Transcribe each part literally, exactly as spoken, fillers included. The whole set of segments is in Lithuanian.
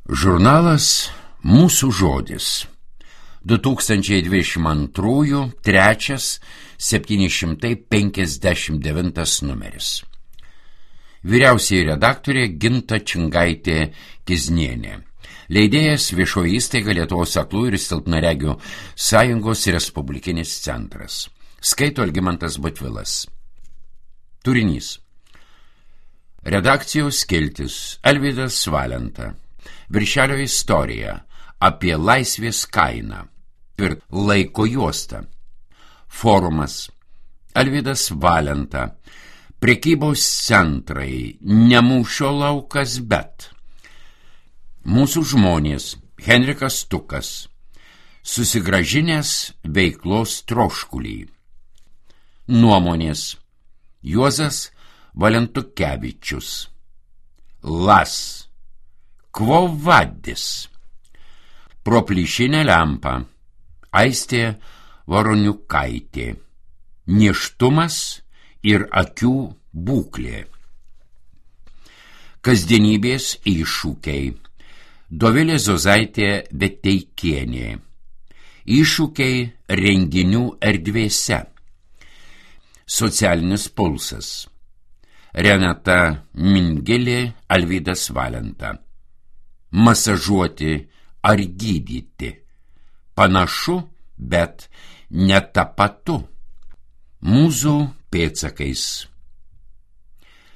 Žurnalas Mūsų žodis. du tūkstančiai dvidešimt antrųjų trečias septyni šimtai penkiasdešimt devintas numeris. Vyriausioji redaktorė Ginta Čingaitė Kiznienė. Leidėjas Viešoji įstaiga Lietuvos aklų ir silpnaregių sąjungos Respublikinis centras. Skaito Algimantas Butvilas. Turinys. Redakcijos skiltis Alvydas Valenta. Viršelio istorija apie laisvės kainą ir laiko juostą. Forumas Alvydas Valenta. Prekybos centrai, ne mūšio laukas, bet mūsų žmonės Henrikas Stukas, susigražinęs veiklos troškulį. Nuomonės Juozas Valentukevičius. Las Quo vadis. Pro plyšinę lempą Aistė Varoniukaitė. Nėštumas ir akių būklė. Kasdienybės iššūkiai. Dovilė Zozaitė Veteikienė. Iššūkiai renginių erdvėse. Socialinis pulsas. Renata Mingelė, Alvydas Valenta. Masažuoti ar gydyti. Panašu, bet netapatu. Mūzų pėdsakais.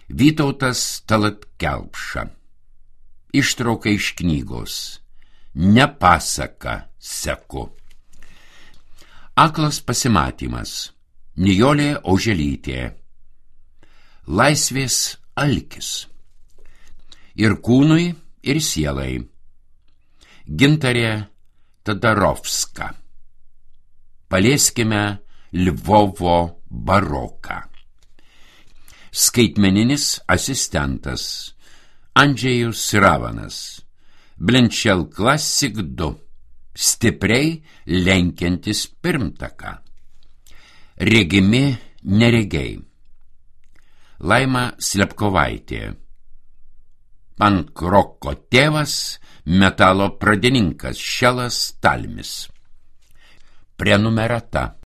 Vytautas Talat Kelpša. Ištrauka iš knygos. Nepasaka seku. Aklas pasimatymas. Nijolė Oželytė. Laisvės alkis. Ir kūnui, ir sielai. Gintarė Tadarovska. Palieskime Lvovo baroką. Skaitmeninis asistentas Andžejus Ravanas. Blenčel Classic du. Stipriai lenkiantis pirmtaką. Regimi neregiai. Laima Slepkovaitė. Pankroko tėvas, metalo pradininkas Šelas Talmis. Prenumerata.